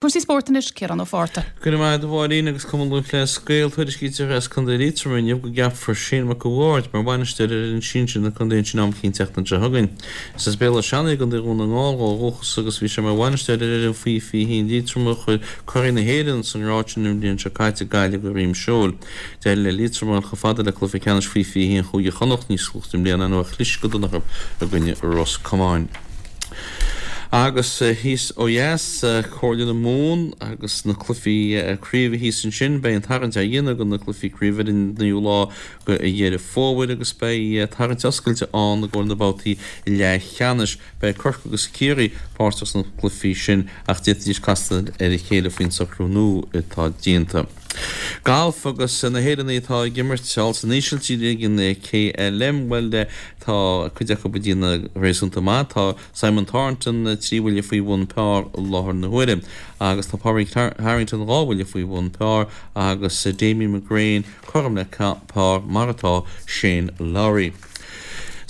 Cúrsaí spóirt anois, Ciarán Ó Fátharta. Go raibh maith agat a Mháirín agus Cumann Lúthchleas Gael tuairiscítear as Contae Liatroma inniu go gceapfar Shane Mac a' Bhaird mar bhainisteoir ar fhoireann sinsir na contae ansin am eicínt an tseachtain seo chugainn. Is as Béal Átha Seanaidh i gContae Dhún na nGall ó dhúchas agus bhí sé mar bhainisteoir ar fhoireann faoi 21 Liatroma a chuir curaidh na hÉireann sa ngrád sin an bhliain seo caite, Gaillimh, go dhroim seoil. D'éirigh le Liatroim a dhul chomh fada le cluiche ceannais faoi 21 Chúige Chonnacht níos luaithe i mbliana nuair a chlis go dona orthu i gcoinne Ros Comáin. Agus thíos ó dheas, Comhairle na Mumhan agus na cluichí craoibhe thíos ansin, beidh an tarraingt á dhéanamh do na cluichí craoibhe ar an 9ú lá de Dheireadh Fómhair agus beidh tarraingt oscailte ann i gcomhair na babhtaí leathcheannais. Beidh Corcaigh agus Ciarraí páirteach sna cluichí sin ach d'fhéadfaidís castáil ar a chéile faoin socrú nua atá déanta. Galf agus na hÉireannaigh atá ag imirt thall san Ísiltír ag an KLM, bhuel tá cuid acu ag déanamh réasúnta maith. Tá Simon Thornton 3 bhuille faoi bhun par i láthair na huaire agus tá Pádraig Harrington 2 bhuille faoi bhun par agus Damien McGrane cothrom le par mar atá Shane Lowry.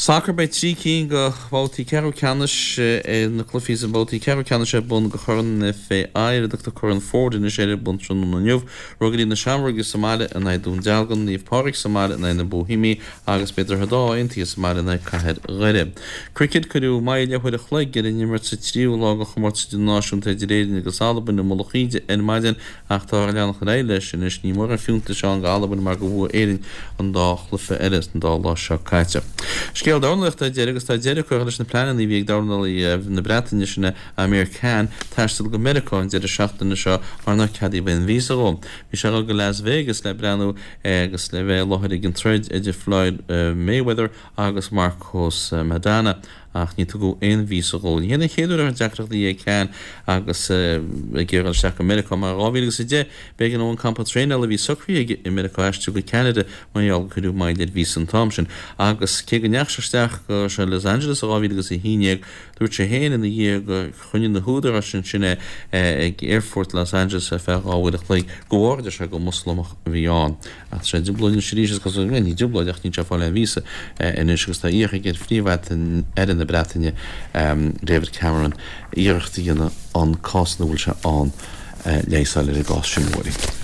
Sacar Beidh 3 cinn de bhabhtaí ceathrú ceannais na cluichí sna babhtaí ceathrú ceannais ar bun do Chorn an FAI, ar a dtugtar Corn Ford anois air, ar bun tráthnóna inniu. Ruagairí na Seamróige sa mbaile in aghaidh Dún Dealgan, Naomh Pádraig sa mbaile in aghaidh na Bohemia agus beidh Droichead Átha Aontaithe sa mbaile in aghaidh Cathair Dhoire. Cricket Cuireadh moill leathuair a chloig ar an imirt sa tríú lá de chomórtas idirnáisiúnta idir Éirinn agus Albain i Mullach Íde ar maidin Ach táthar ag leanacht ar aghaidh leis anois. Ní mórán fiúntais ann d'Albain mar gur bhuaigh Éirinn an dá chluiche eile san dá lá seo caite. Scéal dornálaíochta ar deireadh agus tá deireadh curtha leis na pleananna a bhí ag dornálaí na Breataine sin é Amir Khan taisteal go Meiriceá an deireadh seachtaine seo mar nár ceadaíodh aon víosa dhó. Bhí sé ag dul go Las Vegas le breathnú agus le bheith i láthair ag an troid idir Floyd Mayweather agus Marcos Maidana. ach ní tugadh aon víosa dhó. Ní hé an chéad uair a raibh deacrachtaí ag Khan agus é ag iarraidh dul isteach go Meiriceá mar in 2010 b'éigean dó an campa traenála a bhí socraithe aige i Meiriceá a aistriú go Ceanada mar gheall gur cuireadh moill ar víosa an t-am sin. Agus cé go ndeachaigh sé isteach go Los Angeles in 2011 dúirt sé féin ina dhiaidh gur choinnigh na húdaráis ansin é ag aerfort Los Angeles ar feadh 2 uair a chloig de bharr, a deir sé, gur Moslamach a bhí ann. Ach tá sé i dtrioblóid anois arís, is cosúil, bhuel, ní trioblóid ach níl sé ag fáil aon víosa anois agus tá iarrtha aige ar Phríomh-Aire na Breataine, David Cameron, iarracht a dhéanamh an cás ina bhfuil sé ann leigheas a fháil ar an gcás sin uaidh.